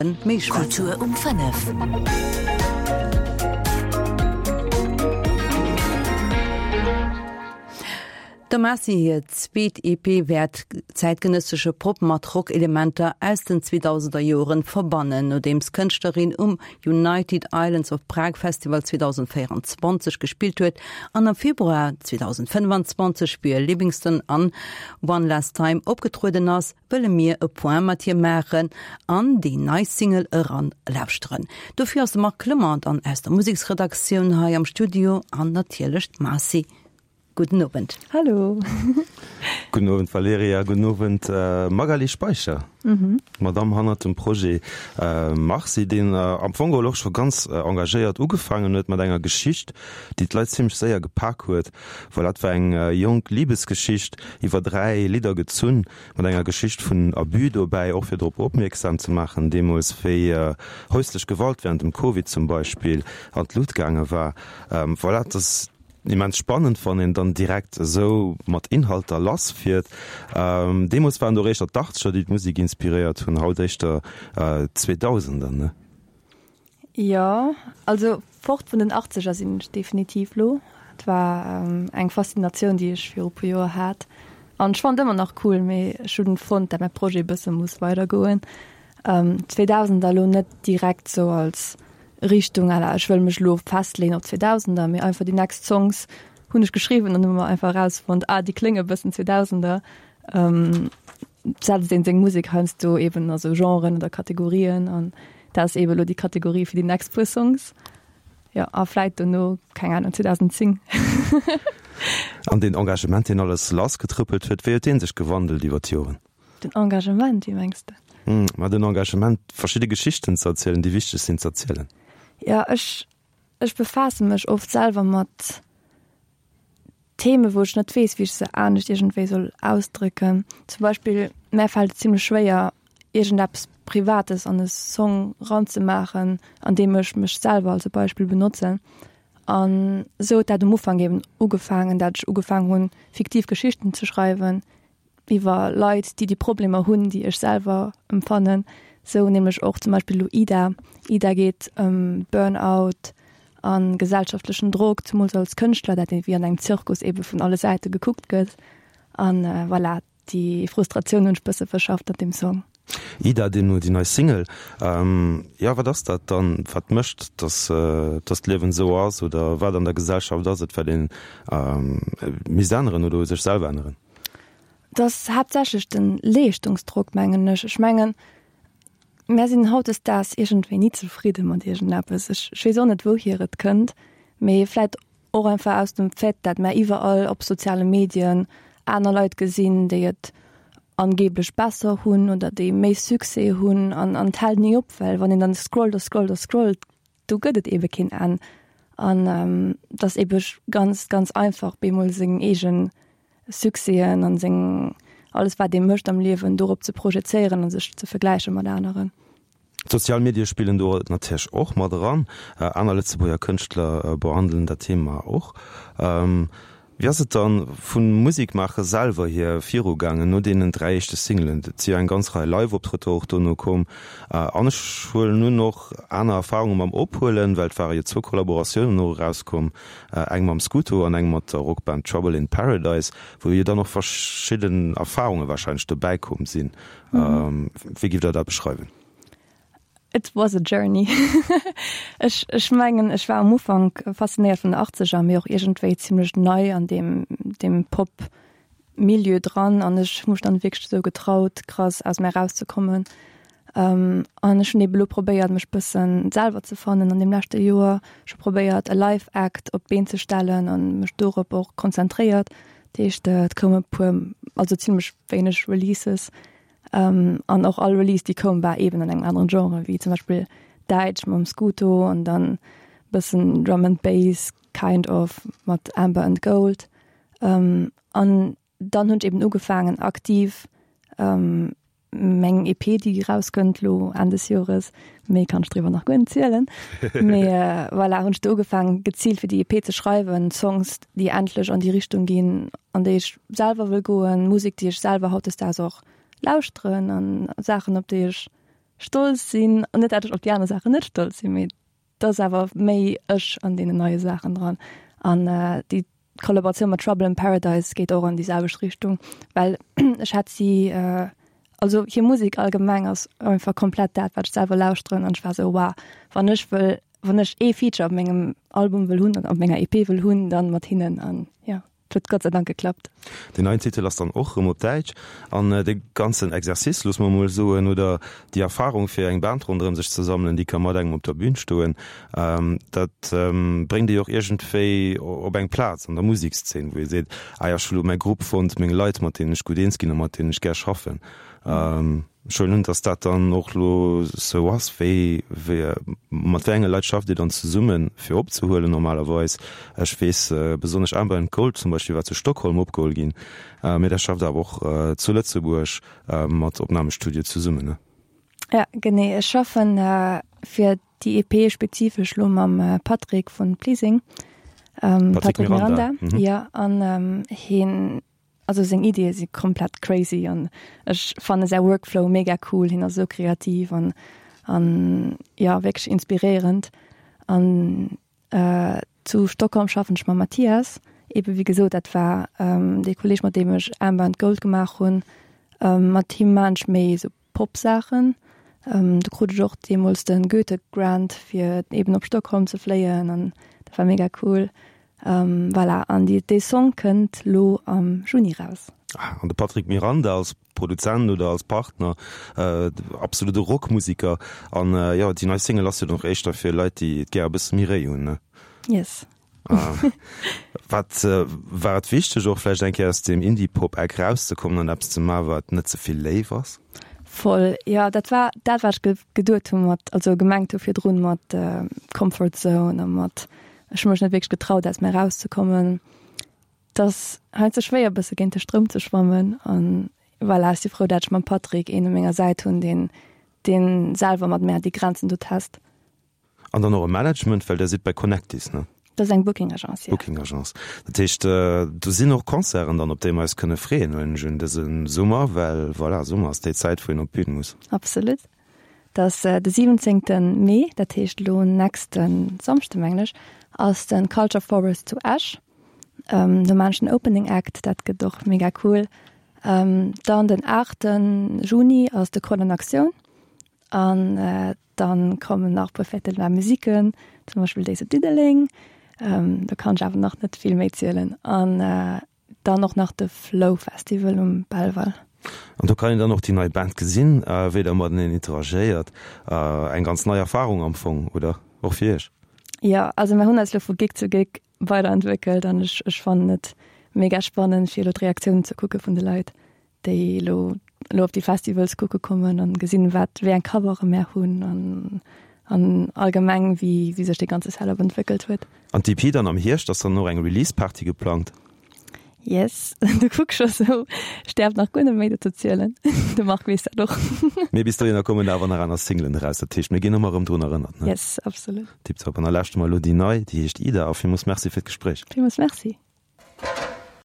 Méi schwätzen. Kultur um 5. Der Marcy hir zweet EP wäert zäitgenëssesche Pop mat Rock-Elementer aus den 2000er Joren verbannen. Nodeems d'Kënschtlerin um United Islands of Prague Festival 2024 gespillt huet an am Februar 2025 fir Livingston an One Last Time opgetrueden ass, wëlle mir e Point mat hir maachen an déi nei Single eran lauschteren. Dofir ass de Marc Clement dann aus der Museksredaktioun hei am Studio an natierlech d'Marcy. Gudden Owend. Hallo. Gudden Owend Valerija, gudden Owend Magaly Speicher, d'Madame hannert dem Projet Marcy, deen am Fong geholl och scho ganz engagéiert ugefaangen huet mat enger Geschicht, déi d'Leit zimmlech séier gepak huet. Voilà, et war eng jonk Libesgeschicht iwwer 3 Lidder gezunn, mat enger Geschicht vun Abus dobäi, och fir drop opmierksam ze maachen, deemools wéi häuslech Gewalt während dem Covid zum Beispill an d'Lut gaange war. Voilà, et ass immens spannend, wann een dann direkt esou mat Inhalter lass fiert. Deemools waren et och éischter d'Achtzeger, déi d'Musek inspiréiert hunn, haut éischter d'Zweedausender, ne? Jo, also fort vun den Achtzeger sinn ech definitiv lo. Et war eng Faszinatioun, déi ech viru puer Joer hat an ech fannen et ëmmer nach cool, mee ech hunn fonnt, dat mäi Projet e bësse muss weidergoen. D'Zweedausender lo net direkt sou als Richtung à la ech wëll mech lo festleeën op d'Zweedausender, mee einfach déi next Songs hunn ech geschriwwen an hu mer einfach erausfonnt, ah déi klénge bëssen Zweedausender. Setzt een seng Musek heiansdo eben a sou Genren oder Kategorien an dat ass eben elo déi Kategorie fir déi next puer Songs. Jo, a vläit dono, keng Ahnung, 2010. An deen Engagement, deen alles lassgetrëppelt huet, wéi huet dee sech gewandelt iwwer d'Joren? Den Engagement, wéi mengs de? Ma den Engagement, verschidde Geschichten ze erzielen, déi wichteg sinn z'erzielen. Jo, ech, ech befaasse mech oft selwer mat Themen, wou ech net weess, wéi ech se anescht iergendwéi soll ausdrécken. Zum Beispill, mär fält et zimlech schwéier, iergendeppes Privates an e Song ranzemaachen, an deem ech mech selwer als e Beispill benotzen. An esou huet dat um Ufank eben ugefaangen, dat ech ugefaangen hunn, fiktiv Geschichten ze schreiwen, iwwer Leit, déi déi Problemer hunn, déi ech selwer empfannen. Sou nämlech och zum Beispill elo Ida. Ida geet ëm Burnout a gesellschaftlechen Drock, zemools als Kënschtler, dat ee wéi an engem Zirkus ebe vun alle Säite gekuckt gëtt. A voilà, déi Frustratioun hunn ech bësse verschafft an deem Song. Ida, deemno déi nei Single. Jo, wat ass dat dann, wat mécht, datt datt d'Liewen esou ass oder wat an der Gesellschaft ass et, wat ee misst änneren oder u sech selwer änneren? Et ass haaptsächlech de Leeschtungsdrock, mengen ech. Ech mengen, mär sinn hautdesdaags iergendwéi ni zefridde mat iergendeppes. Ech weess och net, wouhier et kënnt, mee vläit och einfach aus dem Fait, dat mär iwwerall op soziale Medien aner Leit gesinn, déi et angeblech besser hunn oder déi méi Succès hunn an et hält ni op, well wann een dann scrollt a scrollt a scrollt, do gëtt et eebe keen Enn. An et ass eebe ganz, ganz einfach, bemol seng eegen Succèsen an seng, alles wat ee mécht am Liewen, dorop ze projezéieren a sech ze vergläiche mat aneren. D'sozial Medie spillen do natierlech och mat eran. Aner Lëtzebuerger Kënschtler behandelen dat Thema och. Wéi ass et dann vum Musikmaache selwer hier virugaangen no deenen 3 éischte Singelen? Et si jo eng ganz Rei Live-Optrëtter och dono komm an ech huelen un och aner Erfarunge mam Ophuelen, well et ware jo zwou Kollaboratiounen och erauskomm, eng mam Scooto an eng mat der Rockband Trouble in Paradise, wou jo dann och verschidden Erfarunge warscheinlech dobäi komm sinn. Wéi giff der dat beschreiwen? It was a journey. Ech, ech mengen, ech war am Ufank faszinéiert vun den Achtzeger, mee och iergendwéi zimlech nei an deem, deem Pop-Milieu dran an ech hu mech dann wierklech esou getraut, krass aus mir erauszekommen. An ech hunn ebe lo probéiert, mech bëssen selwer ze fannen an deem leschte Joer. Ech hu probéiert, e Live-Act op d'Been ze stellen an mech dorop och konzentréiert. Dat heescht, et koume puer, also zimlech wéineg Releases. An och all Release déi koum war eben an engem aneren Genre, wéi zum Beispill Däitsch mam Scooto an dann bëssen Drum and Bass kind of mat Amber and Gold. An dann hunn ech eben ugefaangen aktiv meng EP déi erauskënnt lo Enn des Jores, méi kann ech driwwer nach guer net zielen, mee voilà, hunn ech do ugefaangen geziilt fir déi EP ze schreiwen, Songs déi endlech an déi Richtung ginn an déi ech selwer wëll goen, Musek déi ech selwer hautdesdaags och lauschteren an Saachen op déi ech. stolz sinn, an net dat ech op déi aner Saachen net stolz sinn, mee et ass awer méi ech an deenen neie Saachen dran. An déi Kollaboratioun mat Trouble in Paradise geet och an déi selwecht Richtung, well ech hat si, also hir Musek allgemeng ass einfach komplett dat, wat ech selwer lauschteren an ech war esou, wow, wann ech wëll, wann ech ee Feature op mengem Album wëll hunn oder op menger EP wëll hunn, dann mat hinnen an jo. Et huet Gott sei Dank geklappt. Deen neien Titel ass dann och rëm op Däitsch. An dee ganzen Exercice, loosse mer emol soen, oder déi Erfarung, fir eng Band ronderëm sech ze sammelen, déi ka mat engem op der Bün stoen, dat bréngt ee jo och iergendwéi op eng Plaz an der Musekszeen, wou ee seet, ah jo, ech hu lo mäi Grupp fonnt, meng Leit, mat deenen ech gutt eens ginn a mat deenen ech gär schaffen. Ech huelen un, dass dat dann och elo sou ass. Wéi, wéi, mat wéi enge Leit schafft Dir dann zesummen, fir opzehuelen normalerweis? Ech weess, besonnesch Amber and Gold zum Beispill war zu Stockholm opgeholl ginn, mee Der schafft awer och zu Lëtzebuerg mat Opnamestudioe zesummen, ne? Ja, genee. Ech schaffen fir déi EP spezifesch elo mam Patrick vun Pleasing, Patrick Miranda, jo, an hien Also seng Iddie si komplett crazy an ech fanne säi Workflow mega cool. Hien ass esou kreativ an an jo wierklech inspiréierend. An zu Stockholm schaffen ech mam Mathias, ebe wéi gesot, dat war dee Kolleeg mat deem ech Amber and Gold gemaach hunn. Mat him maan ech méi esou Pop-Saachen. Do krut ech och deemools de Goethe Grant fir eben op Stockholm ze fléien an dat war mega cool. Voilà, an déi dee Song kënnt lo am Juni raus. Ah, an de Patrick Miranda als Produzent oder als Partner, absolute Rockmusiker. An jo, déi nei Single ass jo dann och éischter fir Leit, déi et gär e bësse méi réi hunn, ne? Yes. Wat war et wichteg och vläicht eng Kéier aus deem Indie-Pop-Eck rauszekommen an eppes ze maachen, wat net ze vill léif ass? Voll, jo, dat war dat, wat ech geduet hu mat, also gemengt hu virdrun mat Comfort Zone a mat ech hu mech net wierklech getraut aus mir erauszekommen. Et ass heiansdo schwéier e bësse géint de Stroum ze schwammen an voilà, ech si frou, dat ech mam Patrick een u menger Säit hunn, deen deen selwer mat mär déi Grenzen do test. An dann och e Management, well Der sidd bei Connectis, ne? Dat ass eng Booking Agence, jo. Booking Agence. Dat heescht, do sinn och Concerten dann, op déi mer eis kënne freeën, huelen ech un, dëse Summer, well voilà, Summer ass déi Zäit, wou een op d'Bün muss. Absolut. Dat ass de 17. Mee, dat heescht elo nächste Samschde, mengen ech, ass de Culture Forest zu Esch. Do maan ech den Opening Act, dat gëtt och mega cool. Dann den 8. Juni ass de Call en Action an Dann kommen nach puer Fêtes de la Musiquen, zum Beispill déi zu Diddeleng. Do kann ech awer nach net vill méi zielen. An dann och nach de Flow Festival um Belval. An do kann een dann och déi nei Band gesinn, wéi der mateneen interagéiert. Eng ganz nei Erfarung am Fong, oder? Och fir iech? Jo, also mir hunn eis elo vu Gig zu Gig weiderentwéckelt an ech ech fannen et mega spannend, fir elo d'Reaktiounen ze kucke vun de Leit. déi elo elo op déi Festivals kucke kommen an gesinn, wat wéi eng Covere mär hunn an an allgemeng wéi wéi sech dee ganze Setup entwéckelt huet. An d'EP dann am Hierscht, ass dann och eng Release Party geplangt? Yes, du kucks scho sou. Ech däerf nach guer net méi dozou zielen. De Marc weess dat och. Mee bis dohinner kommen awer nach aner Singlen eraus, dat heescht mir ginn ëmmer erëm drun erënnert, ne? Yes, absolut. Tiptop. An da lauschte mer elo déi nei, déi heescht Ida a villmools Merci fir d'Gespréich. Villmools Merci.